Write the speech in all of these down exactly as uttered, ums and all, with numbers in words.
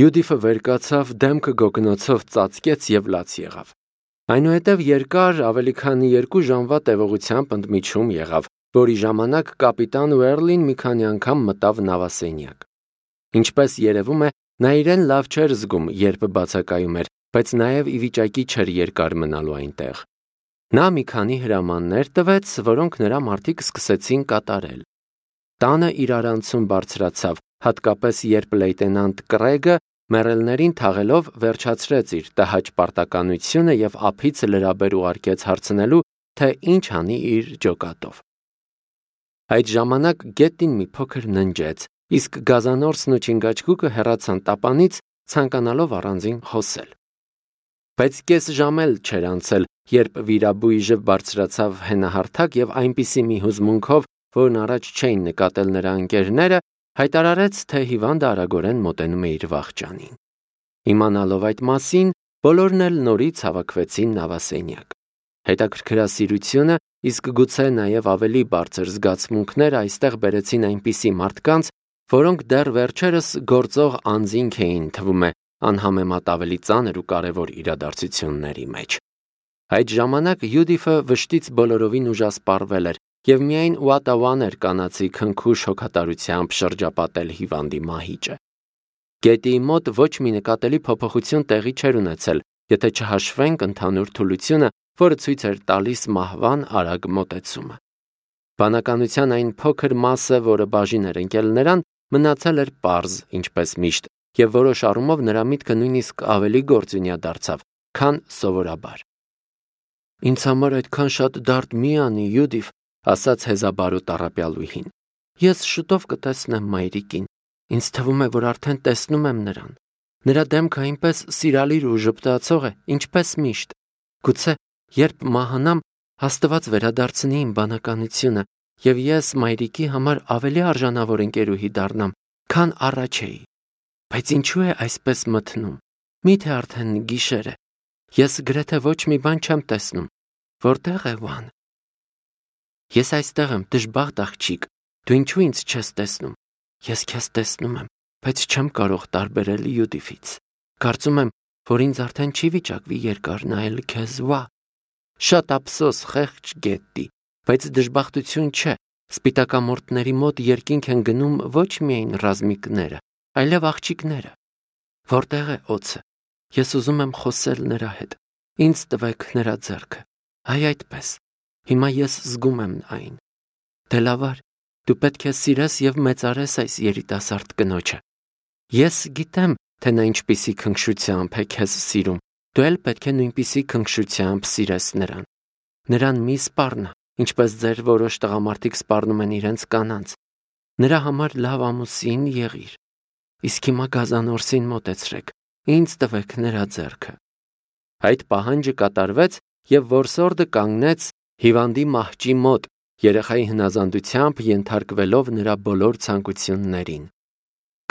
Յուդիֆը վեր կացավ, դեմքը գոգնոցով ծածկեց և լաց եղավ։ Այնուհետև երկար, ավելի քան երկու ժամվա տևողությամբ ընդմիջում եղավ, որի ժամանակ կապիտան Ուերլին մի քանի անգամ մտավ նավասենյակ։ Ինչպես երևում է, նա իրեն լավ չէր զգում, երբ բացակայում էր, բայց նաև ի վիճակի չէր երկար մնալու այնտեղ։ Նա մի քանի հրամաններ տվեց, որոնք նրա մարդիկ սկսեցին կատարել։ Տանը իրարանցում բարձրացավ, հատկապես երբ լեյտենանտ Կռեգը մեռելներին թաղելով վերջացրեց իր տհաճ պարտականությունը և ափից լրաբեր ուղարկեց հարցնելու, թե ինչ անի իր ջոկատով։ Այդ ժամանակ գետին մի փոքր ննջեց, իսկ գազանորսն ու չինգաչգուկը հեռացան տապանից, ցանկանալով առանձին խոսել։ Բայց կես ժամ էլ չէր անցել, երբ վիրաբույժը բարձրացավ հենահարթակ և այնպիսի մի հուզմունքով, որն առաջ չէին նկատել նրա ընկերները, հայտարարեց, թե հիվանդը արագորեն մոտենում է իր վախճանին։ Իմանալով այդ մասին, բոլորն էլ նորից հավաքվեցին նավասենյակ։ Հետաքրքրասիրությունը, իսկ գուցե նաև ավելի բարձր զգացմունքներ այստեղ բերեցին այնպիսի մարդկանց, որոնք դեռ վերջերս գործող անձինք էին, թվում է, անհամեմատ ավելի ծանր ու կարևոր իրադարձությունների մեջ։ Այդ ժամանակ Յուդիֆը վշտից բոլորովին ուժասպառվել էր և միայն ուատավան էր կանացի քնքուշ հոգատարությամբ շրջապատել հիվանդի մահիճը։ Գետի մոտ ոչ մի նկատելի փոփոխություն տեղի չէր ունեցել, եթե չհաշվենք ընդհանուր թուլությունը, որը ցույց էր տալիս մահվան արագ մոտեցումը։ Բանականության այն փոքր մասը, որը բաժին էր ընկել նրան, մնացել էր պարզ, ինչպես միշտ, և որոշ առումով նրա միտքը նույնիսկ ավելի գործունյա դարձավ, քան սովորաբար։ «Ինձ համար այդքան շատ դարդ մի անի, Յուդիֆ», ասաց հեզաբարու տառապյալուհին։ «Ես շուտով կտեսնեմ մայրիկին։ Ինձ թվում է, որ արդեն տեսնում եմ նրան։ Նրա դեմքը այնպես սիրալիր ու ժպտացող է, ինչպես միշտ։ Գուցե, երբ մահանամ, Աստված վերադարձնի իմ բանականությունը, և ես մայրիկի համար ավելի արժանավոր ընկերուհի դառնամ, քան առաջ էի։ Բայց ինչու է այսպես մթնում։ Մի՞թե արդեն գիշեր է։ Ես գրեթե ոչ մի բան չեմ տեսնում։ Որտե՞ղ է Վան։ Ես այստեղ եմ, դժբախտ աղջիկ, դու ինչու ինձ չես տեսնում։ Ես քեզ տեսնում եմ, բայց չեմ կարող տարբերել Յուդիֆից։ Կարծում եմ, որ ինձ արդեն չի վիճակվի երկար նայել քեզ, Վա։ Շատ ափսոս, խեղճ գետի, բայց դժբախտություն չէ։ Սպիտակամորտների մոտ երկինք են գնում ոչ միայն ռազմիկները, այլև աղջիկները։ Որտե՞ղ է օձը։ Ես ուզում եմ խոսել նրա հետ։ Ինձ տվեք նրա ձեռքը։ Այ այդպես։ Հիմա ես զգում եմ այն։ Դե լավ, դու պետք է սիրես և մեծարես այս երիտասարդ կնոջը։ Ես գիտեմ, թե նա ինչպիսի քնքշությամբ է քեզ սիրում, դու էլ պետք է նույնպիսի քնքշությամբ սիրես նրան։ Նրան մի սպառնա, ինչպես ձեր որոշ տղամարդիկ սպառնում են իրենց կանանց։ Նրա համար լավ ամուսին եղիր։ Իսկ հիմա գազանորսին մոտեցրեք, ինձ տվեք նրա ձեռքը։ Այդ պահանջը կատարվեց, և որսորդը կանգնեց հիվանդի մահճի մոտ, երեխայի հնազանդությամբ ենթարկվելով նրա բոլոր ցանկություններին։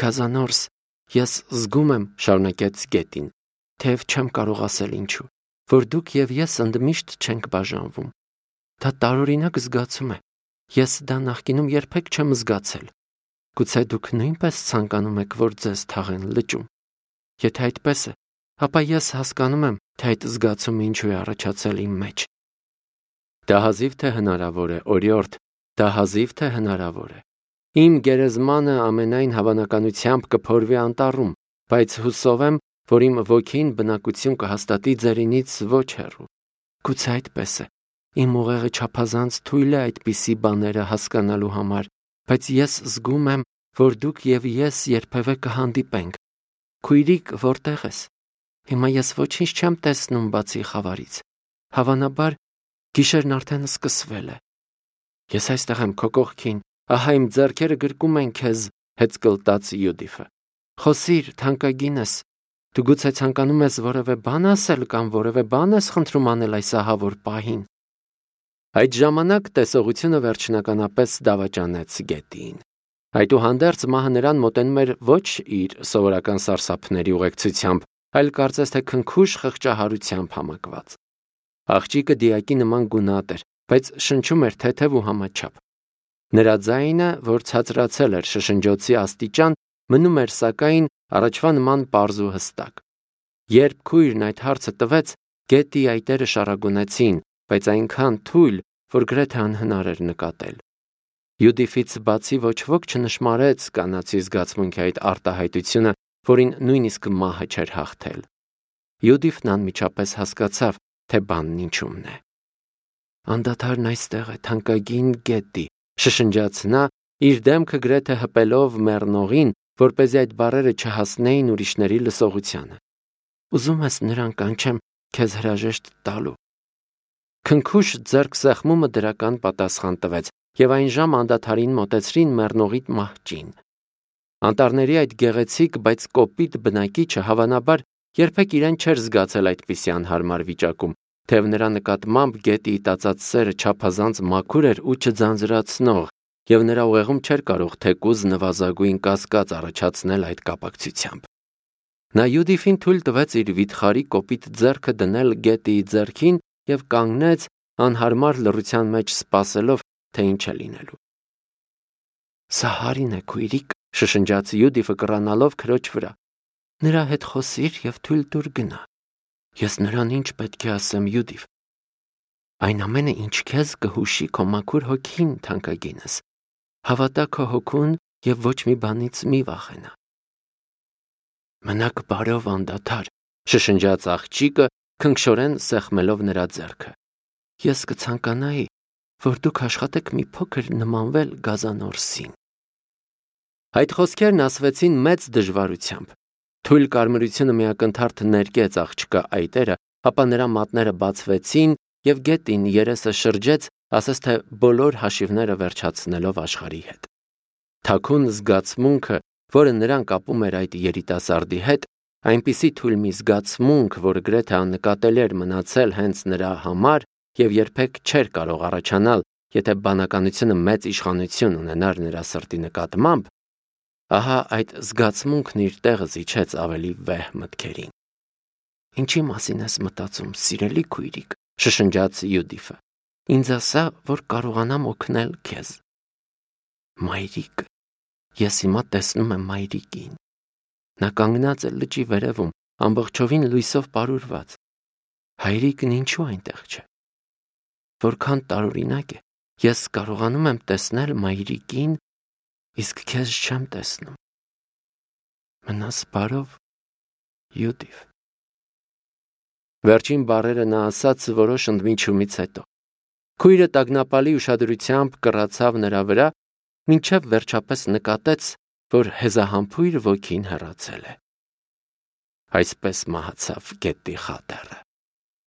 Գազանորս, ես զգում եմ, շարունակեց գետին, թեև չեմ կարող ասել ինչու, որ դուք և ես ընդմիշտ չենք բաժանվում։ Դա տարօրինակ զգացում է։ Ես դա նախկինում երբեք չեմ զգացել։ Գուցե դուք նույնպես ցանկանում եք, որ ձեզ թաղեն լճում։ Եթե այդպես է, ապա ես հասկանում եմ, թե այդ զգացումը ինչու է առաջացել իմ մեջ։ Դա հազիվ թե հնարավոր է, օրիորդ, դա հազիվ թե հնարավոր է։ Իմ գերեզմանը ամենայն հավանականությամբ կփորվի անտառում, բայց հուսով եմ, որ իմ ոգին բնակություն կհաստատի ձերինից ոչ հեռու։ Գուցե այդպես է։ Իմ ուղեղը չափազանց թույլ է այդպիսի բաները հասկանալու համար, բայց ես զգում եմ, որ դուք և ես երբևէ կհանդիպենք։ Քույրիկ, որտե՞ղ ես։ Հիմա ես ոչինչ չեմ տեսնում բացի խավարից։ Հավանաբար, գիշերն արդեն սկսվել է։ Ես այստեղ եմ քո կողքին, ահա իմ ձեռքերը գրկում են քեզ, հեծկլտաց Յուդիֆը։ Խոսիր, թանկագինս, դու գուցե ցանկանում ես որևէ բան ասել կամ որևէ բան ես խնդրում անել այս ահավոր պահին։ Այդ ժամանակ տեսողությունը վերջնականապես դավաճանեց գետին։ Այդուհանդերձ մահը նրան մոտենում էր ոչ իր սովորական սարսափների ուղեկցությամբ, այլ կարծես թե քնքուշ խղճահարությամբ համակված։ Աղջիկը դիակի նման գունատ էր, բայց շնչում էր թեթև ու համաչափ։ Նրա ձայնը, որ ցածրացել էր շշնջոցի աստիճան, մնում էր սակայն առաջվա նման պարզ ու հստակ։ Երբ քույրն այդ հարցը տվեց, գետի այտերը շարագունեցին, բայց այնքան թույլ, որ գրեթե անհնար էր նկատել։ Յուդիֆից բացի ոչ ոք չնշմարեց կանացի զգացմունքի այդ արտահայտությունը, որին նույնիսկ մահը չէր հաղթել։ Յուդիֆն անմիջապես հասկացավ, թե բանն ինչումն է։ Անդադարն այստեղ է, թանկագին գետի, շշնջաց նա, իր դեմքը գրեթե հպելով մեռնողին, որպեսզի այդ բառերը չհասնեին ուրիշների լսողությանը։ Ուզում ես նրան կանչեմ քեզ հրաժեշտ տալու։ Քնքուշ ձեռք սեղմումը դրական պատասխան տվեց, եւ այն ժամ անդադարին մոտեցրին մեռնողի մահճին։ Անտառների այդ գեղեցիկ, բայց կոպիտ բնակիչը հավանաբար երբեք իրեն չէր զգացել այդպիսի անհարմար վիճակում, թեև նրա նկատմամբ գետի տածած սերը չափազանց մաքուր էր ու չձանձրացնող, եւ նրա ուղեղում չէր կարող թեկուզ նվազագույն կասկած առաջացնել այդ կապակցությամբ։ Նա Յուդիֆին թույլ տվեց իր վիթխարի կոպիտ ձեռքը դնել գետիի ձեռքին եւ կանգնեց անհարմար լռության մեջ սպասելով, թե ինչ է լինելու։ Սա Հարին է, քույրիկ, շշնջաց Յուդիֆը կռանալով քրոջ վրա։ Նրա հետ խոսիր եւ թույլ տուր գնա։ Ես նրան ինչ պետք է ասեմ, Յուդիֆ։ Այն ամենը, ինչ քեզ կհուշի քո մաքուր հոգին, թանկագինս։ Հավատա քո հոգուն եւ ոչ մի բանից մի վախենա։ Մնաք բարով անդադար, շշնջաց աղջիկը, քնքշորեն սեղմելով նրա ձեռքը։ Ես կցանկանայի, որ դուք աշխատեք մի փոքր նմանվել գազանորսին։ Այդ խոսքերն ասվեցին մեծ դժվարությամբ։ Թույլ կարմրությունը միակնթարթ ներկեց աղջկա այտերը, ապա նրա մատները բացվեցին եւ գետին երեսը շրջեց, ասես թե բոլոր հաշիվները վերջացնելով աշխարհի հետ։ Թաքուն զգացմունքը, որը նրան կապում էր այդ երիտասարդի հետ, այնպիսի թույլ մի զգացմունք, որ գրեթե աննկատելի էր մնացել հենց նրա համար եւ երբեք չէր կարող առաջանալ, եթե բանականությունը մեծ իշխանություն ունենար նրա սրտի նկատմամբ, ահա այդ զգացմունքն իր տեղը զիջեց ավելի վեհ մտքերին։ Ինչի մասին ես մտածում, սիրելի քույրիկ, շշնջաց Յուդիֆը։ Ինձ ասա, որ կարողանամ օգնել քեզ։ Մայրիկ, ես հիմա տեսնում եմ մայրիկին։ Նա կանգնած է լճի վերևում, ամբողջովին լույսով պարուրված։ Հայրիկն ինչու այնտեղ չէ։ Որքան տարօրինակ է, ես կարողանում եմ տեսնել մայրիկին, իսկ քեզ չեմ տեսնում։ Մնաս բարով, Յուդիֆ։ Վերջին բառերը նա ասաց որոշ ընդմիջումից հետո։ Քույրը տագնապալի ուշադրությամբ կռացավ նրա վրա, մինչև վերջապես նկատեց, որ հեզահամբույր ոգին հեռացել է։ Այսպես մահացավ գետի խատերը։